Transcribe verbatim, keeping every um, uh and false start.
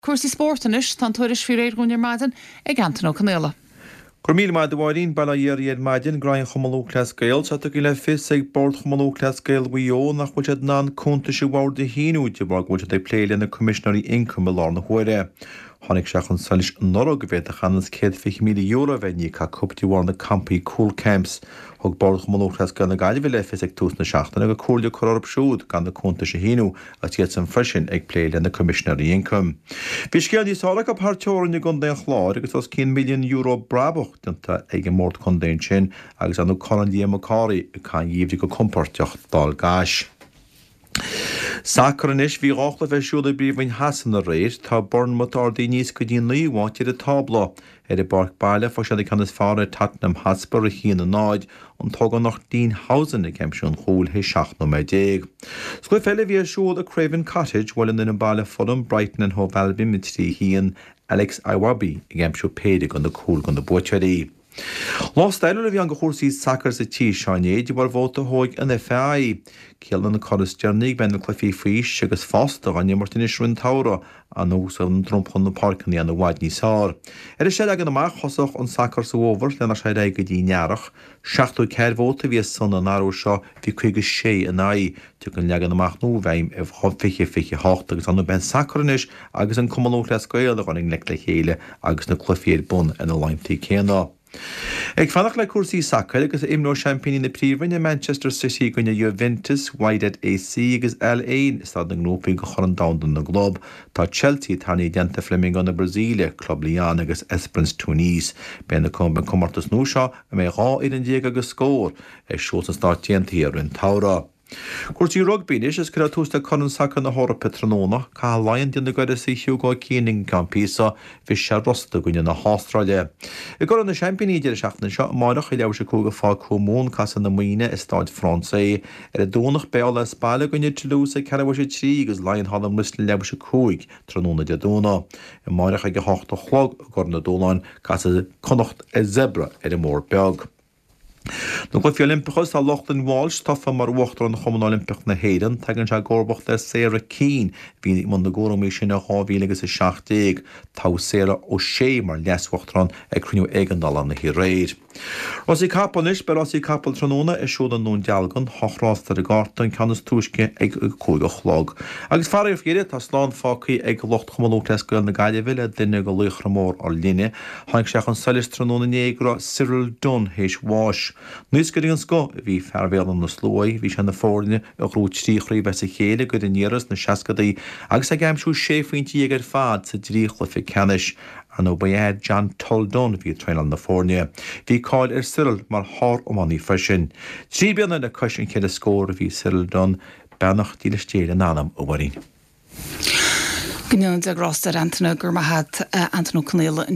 Cúrsaí spóirt anois tá an tuairisc faoi réir dúinn ar maidin ag Antain Ó Conaola. Gur míle maith Mháirín bail ó Dhia oraibh ar maidin Grain Chumann Lúthchleas Gael tá tugtha le fios ag Bord Chumann Lúthchleas Gael Mhaigh Eo nach bhfuil siad in ann cuntais an bhoird a shíniú de bharr go bhfuil siad ag plé le na Coimisinéirí Ioncaim i láthair na huaire. Tháinig sé chun solais anuraidh go bhféadfadh anuas céad fiche míle euro a bheith iníoctha acu de bharr na campaí Cúl Camps. Thug Bord Chumann Lúthchleas Gael na Gaillimhe le fios ag tús na seachtaine go comhairle curtha orthu siúd gan na cuntais a shíniú agus iad san freisin ag plé le na Coimisinéirí Ioncaim. Bhí scéal níos fearr acu thar teorainn i gContae an Chláir agus os cionn milliún euro brabach déanta ag an mbord contae sin agus an Corn Liam Mac Cárthaigh ag caitheamh an gheimhridh go compordach Dál gCais. Sacar anois bhí dhá chluiche ar siúl i bPríomhroinn Shasana aréir, tá Bournemouth ardaithe aníos go dtí an naoú háit ar an tábla. Ar a bpáirc baile fuair siad an ceann is fearr ar Tottenham Hotspur a haon a náid, an t-ógánach Dean Huijsen ag aimsiú an chúil théis seacht nóiméad déag. Sa chluiche eile a bhí ar siúl i Craven Cottage, bhuail an fhoireann baile Fulham Brighton and Hove Albion a trí a haon, Alex Iwobi ag aimsiú péire de na cúil do na buaiteoirí. Lá stairiúil a bhí ann do chúrsaí sacair sa tír seo inné de bharr vóta a thóg an FAI. Ciallaíonn an cor is deireanaí go mbeidh na cluichí faoi aois agus fásta á n-imirt anois roimh an tsamhradh anuas ar an dromchla na páirceanna i bhfad níos fearr. Ar an seanleagan amach thosódh an sacar sa bhfómhar le nach sé ar aghaidh go dtí an earrach. Seachtó ceathair vóta a bhí ar son an athrú seo bhí caoga sé in aghaidh. Tiocfaidh an leagan amach nua i bhfeidhm i fiche fiche hocht agus an beidh an sacar anois agus an Cumann Lúthchleas Gael a dhul i ngleic le chéile agus na cluichí ar bun ar na laethanta céanna. Ag fanacht le cúrsaí sacair agus imreoidh seaimpíní na Príomhroinne Manchester City i gcoinne Juventus, Wydad AC agus Al Ain i staid na ngrúpaí do Chorn Domhanda na gClub. Tá Chelsea tarraingthe i dteannta Flamengo na Brasaíle, Club Lyon agus Esperance Tunis. Beidh na comórtas nua seo a mbeidh dhá fhoireann déag agus scór ar siúl sna Stáit Aontaithe roimh an tsamhradh. Cúrsaí rugbaí anois is cuirfear tús le Corn Sacair na hEorpa tráthnóna, Caithfidh Laighean déanamh d'uireasa Hugo Keane i gceann píosa, bhris sé rosta i gcoinne na hAstráile. I gCorn na Seaimpíní deireadh seachtaine seo amárach i leathuair tar éis a cúig i Pháirc Thuamhumhan casfaidh na Muimhnigh i Stade Français. Ar an Domhnach beidh Ulaidh as baile i gcoinne Toulouse ag ceathrú tar éis a trí agus Laighean thall i mBristol leathuair tar éis a cúig tráthnóna Dé Domhnaigh. Amárach ag a hocht a chlog i gCorn na Dúshláin casfaidh Connacht ar Zebre ar an mBord Beag. Na Cluichí Oilimpeacha tá Lochlann Walsh tofa mar Uachtarán Chumann Oilimpeach na hÉireann, tagann sé i gcomharbacht ar Sarah Keane bhí i mbun na gcúraimí sin i dhá mhíle agus a seacht déag. Toghadh Sarah O'Shea mar leas-uachtarán ag cruinniú éigeandála na haréir. Rásaí capall anois beidh rásaí capall tráthnóna ar siúl i nDún Dealgan, ocht rás ar an gcárta an ceann is túisce ag cúig a chlog. Agus faraor faoi dheireadh tá slán fágtha ag lucht Chumann Lúthchleas Gael na Gaillimhe le duine de laochra mór ár linne. Tháinig sé chun solais tráthnóna inné go raibh Cyril Dunne théis bháis. Naoscaire den scoth a bhí fear Bhéal Átha na Sluaighe, bhí sé na foirne a ghnóthaigh trí chraobh as a chéile i gCraobh an Iarthair sna seascadaí agus ag aimsiú sé phointe dhéag ar fad sa dtrí chluiche ceannais. Ar ndóigh ba é John Toll Dunne a bhí ag traenáil na foirne. Bhí cáil ar Cyril mar shár-iománaí freisin. Trí bliana le cois an cheithre scór a bhí Cyril Dunne, beannacht dílis Dé lena anam a Mháirín. Go ndéana Dia grásta air Antaine gur maith Antain Ó Conaola